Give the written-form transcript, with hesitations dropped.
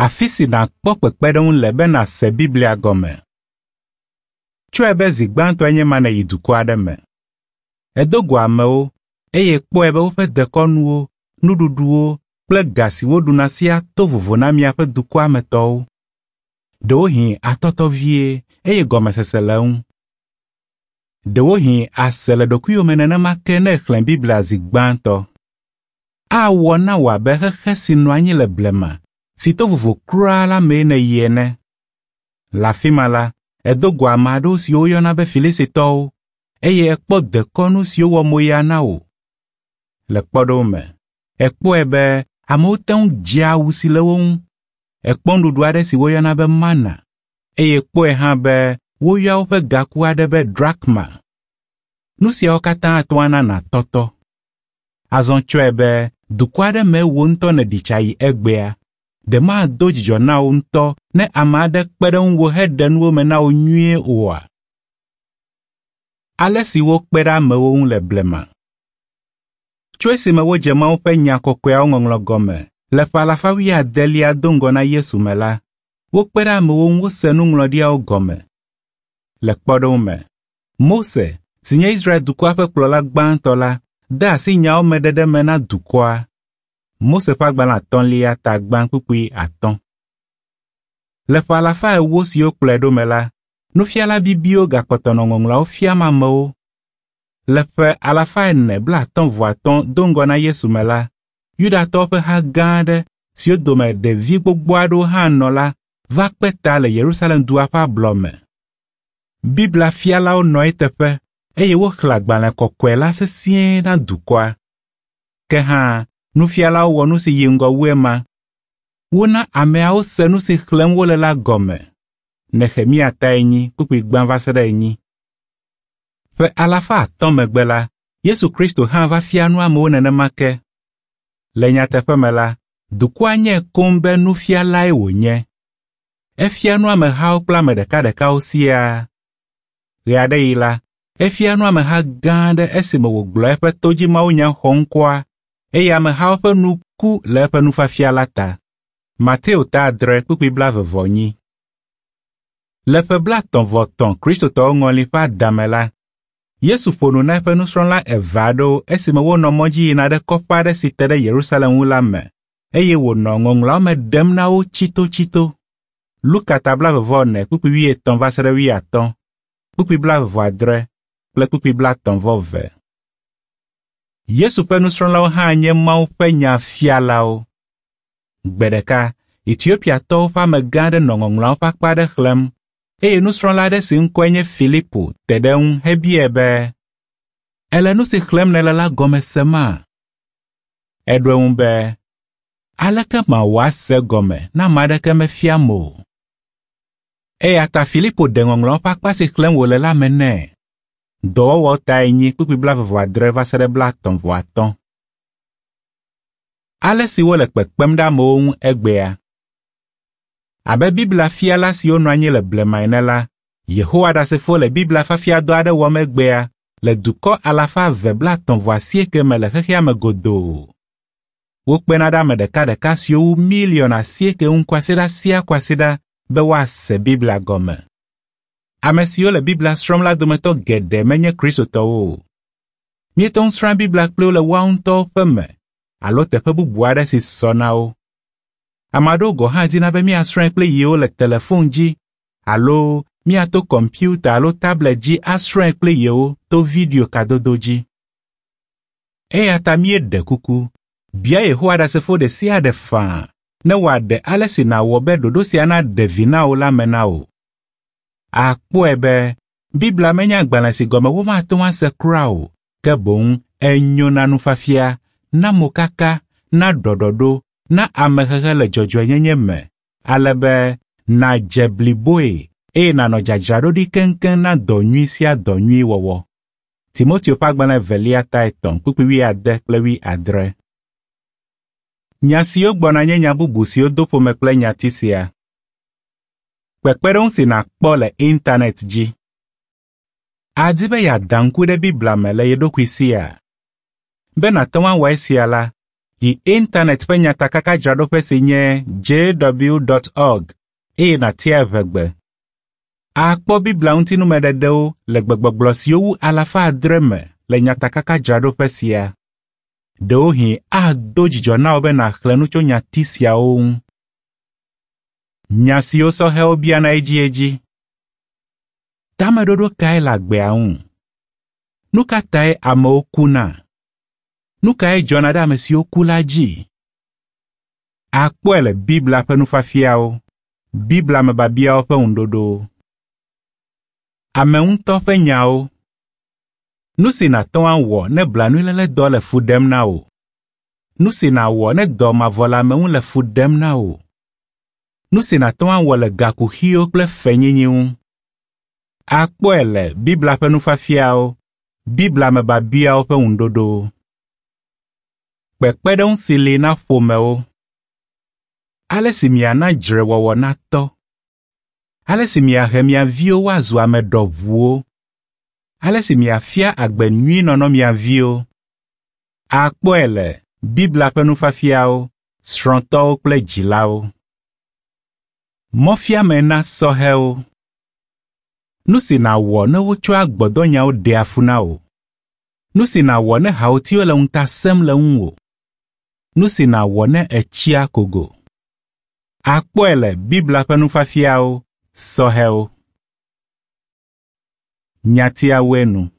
Afi si nàkpɔ kpekpeɖeŋu le be nàse Biblia gɔme. Tsɔe be zi gbãtɔe nye ma nèyi dukɔ aɖe me. Èdo go amewo eye kpɔe be woƒe dekɔnuwo, nuɖuɖuwo kple ga si woɖuna siaa to vovo na miaƒe dukɔa me tɔwo. Ɖewohĩ àtɔtɔ vie eye gɔmesese le eŋu. Ɖewohĩ àse le ɖokuiwò me nenema ke ne èxlẽ Biblia zi gbãtɔ. Awɔ na wò abe xexe si nɔ anyi le blema, si to vovo kura la mee nèyi ene. Le afi ma la, èdo go ame aɖewo siwo woyɔna be Filistitɔwo eye èkpɔ dekɔnu siwo wɔ moya na wò. Le kpɔɖeŋu me, èkpɔe be amewo te ŋu dzea awu si le wo ŋu. Èkpɔ nuɖuɖu aɖe si woyɔna be mana eye kpɔe hã be woyɔa woƒe gaku aɖe be drakma. Nu siawo katã ate ŋu ana nàtɔtɔ. Azɔ tsɔe be dukɔ aɖe mee wò ŋutɔ nèɖi tsa yi egbea. Ɖe mado dzidzɔ na wò ŋutɔ ne ame aɖe kpe ɖe ŋuwò heɖe nuwo me na wò nyuie oa? Ale si wokpe ɖe amewo ŋu le blema. Tso esime wodze Mawu ƒe nya kɔkɔeawo ŋɔŋlɔ gɔme le ƒe alafa wuiadelia do ŋgɔ na Yesu me la, wokpe ɖe amewo ŋu wose nuŋlɔɖiawo gɔme. Le kpɔɖeŋu me, Mose, si nye Israel dukɔa ƒe kplɔla gbãtɔ la, de asi nyawo me ɖeɖe me na dukɔa. Mose ƒe agbalẽ atɔ̃lia ta gbã kpukpui atɔ̃. Le ƒe alafa ewo siwo kplɔe ɖo me la, nufiala bibiwo gakpɔtɔ nɔ ŋɔŋlɔawo fiam amewo. Le ƒe alafa ene blaatɔ̃ vɔ atɔ̃ do ŋgɔ na Yesu me la, Yudatɔwo ƒe ha gã aɖe siwo dome ɖevi gbogbo aɖewo hã nɔ la va kpe ta le Yerusalem dua ƒe ablɔ me. Biblia fialawo nɔ eteƒe eye woxlẽ agbalẽ kɔkɔe la sesĩe na dukɔa. Ke hã nufialawo wɔ nu si yi ŋgɔ wu ema. Wona ameawo se nu si xlẽm wole la gɔme. Nehemia ta enyi kpukpui gbã va se ɖe enyi. Ƒe alafa atɔ̃ megbe la, Yesu Kristo hã va fia nu amewo nenema ke. Le nyateƒe me la, dukɔa nyae koŋ be nufialae wònye. Efia nu amehawo kple ame ɖekaɖekawo siaa. Ɣeaɖeɣi la, efia nu ameha gã aɖe esime wògblɔ eƒe todzimawunya xɔŋkɔa eye amehawo ƒe nu ku le eƒe nufiafia la ta. Mateo ta adre kpukpui blaeve vɔ enyi. Le ƒe blaetɔ̃ vɔ etɔ̃ Kristotɔwo ŋɔli ƒe adame la, Yesu ƒo nu na eƒe nusrɔ̃la eve aɖewo esime wonɔ mɔ dzi yina ɖe kɔƒe aɖe si te ɖe Yerusalem ŋu la me eye wònɔ ŋɔŋlɔawo me ɖem na wo tsitotsito. Luka ta blaeve vɔ ene kpukpui wuietɔ̃ va se ɖe wuiatɔ̃, kpukpui blaeve vɔ adre kple kpukpui blaetɔ̃ vɔ eve. Yesu ƒe nusrɔ̃lawo hã nye Mawu ƒe nya fialawo. Gbe ɖeka Etiopiatɔwo ƒe amegã aɖe nɔ ŋɔŋlɔawo ƒe akpa aɖe xlẽm eye nusrɔ̃la aɖe si ŋkɔe nye Filipo te ɖe eŋu hebiae be, “Èle nu si xlẽm nèle la gɔme sema?” Eɖo eŋu be, “Aleke mawɔ ase egɔme ne ame aɖeke mefiam o?” Eya ta Filipo ɖe ŋɔŋlɔawo ƒe akpa si xlẽm wòle la me nɛ. Dɔwɔwɔ ta enyi kpukpui blaeve vɔ adre va se ɖe blaetɔ̃ vɔ atɔ̃. Ale si wole kpekpem ɖe amewo ŋu egbea. Abe Biblia fiala siwo nɔ anyi le blema ene la, Yehowa Ɖasefo le Biblia fiafiadɔ aɖe wɔm egbea le dukɔ alafa eve blaetɔ̃ vɔ asieke me le xexea me godoo. Wokpena ɖe ame ɖekaɖeka siwo wu miliɔn asieke ŋu kwasiɖa sia kwasiɖa be woase Biblia gɔme. Ame siwo le Biblia srɔ̃m la dometɔ geɖe menye Kristotɔwo o. Míete ŋu srɔ̃a Biblia kpli wo le woawo ŋutɔwo ƒe me alo teƒe bubu aɖe si sɔ na wo. Ame aɖewo gɔ̃ hã dina be míasrɔ̃e kpli yewo le telefon dzi alo míato kɔmpiuta alo tablet dzi asrɔ̃e kpli yewo to video kadodo dzi. Eya ta míeɖe kuku, bia Yehowa Ɖasefo ɖe sia ɖe faa ne wòaɖe ale si nàwɔ be ɖoɖo sia naɖe vi na wò la me na wò. Àkpɔe be Biblia menye agbalẽ si gɔme womate ŋu ase kura o, ke boŋ enyo na nufiafia, na mokaka, na ɖɔɖɔɖo, na amehehe le dzɔdzɔenyenye me, ale be nàdze bliboe eye nànɔ dzadzraɖoɖi keŋkeŋ na dɔ nyui sia dɔ nyui wɔwɔ. Timoteo ƒe agbalẽ evelia ta etɔ̃ kpukpui wuiade kple wuiadre. Nya siwo gbɔna nye nya bubu siwo do ƒome kple nyati sia. Kpekpeɖeŋu si nàkpɔ le internet dzi. Àdi be yeada ŋku ɖe Biblia me le ye ɖokui sia? Be nàte ŋu awɔ esia la, Yi internet ƒe nyatakakadzraɖoƒe si nye jw.org eye nàtia Eʋegbe. Àkpɔ Biblia ŋutinumeɖeɖewo le gbegbɔgblɔ siwo wu 600 me le nyatakakadzraɖoƒe sia. Ɖewohĩ ado dzidzɔ na wò be nàxlẽ nu tso nyati siawo ŋu. Nya siwo sɔhɛwo biana edziedzi. Tameɖoɖo kae le agbea ŋu? Nu ka tae amewo kuna? Nu kae dzɔna ɖe ame siwo ku la dzi? Àkpɔe le Biblia ƒe nufiafiawo, Biblia me biabiawo ƒe ŋuɖoɖowo. Ame ŋutɔ ƒe nyawo. Nu si nàte ŋu awɔ ne blanuiléledɔ le fu ɖem na wò. Nu si nàwɔ ne dɔ mavɔleameŋu le fu ɖem na wò. Nu si nàte ŋu awɔ le gakuxiwo kple fenyinyi ŋu. Àkpɔe le Biblia ƒe nufiafiawo, Biblia me biabiawo ƒe ŋuɖoɖowo. Kpekpeɖeŋu si li na ƒomewo. Ale si miana dzrewɔwɔ natɔ. Ale si miahe mia viwo woazu ame ɖɔʋuwo. Ale si miafia agbe nyui nɔnɔ mia viwo. Àkpɔe le Biblia ƒe nufiafiawo, srɔ̃tɔwo kple dzilawo. Mɔfiame na sɔhɛwo. Nu si nàwɔ ne wotsɔa gbɔdɔnyawo ɖea fu na wò. Nu si nàwɔ ne hawòtiwo le ŋuta sẽm le ŋuwò. Nu si nàwɔ ne ètsi akogo. Àkpɔe le Biblia ƒe nufiafiawo, sɔhɛwo. Nyatiawoe nu.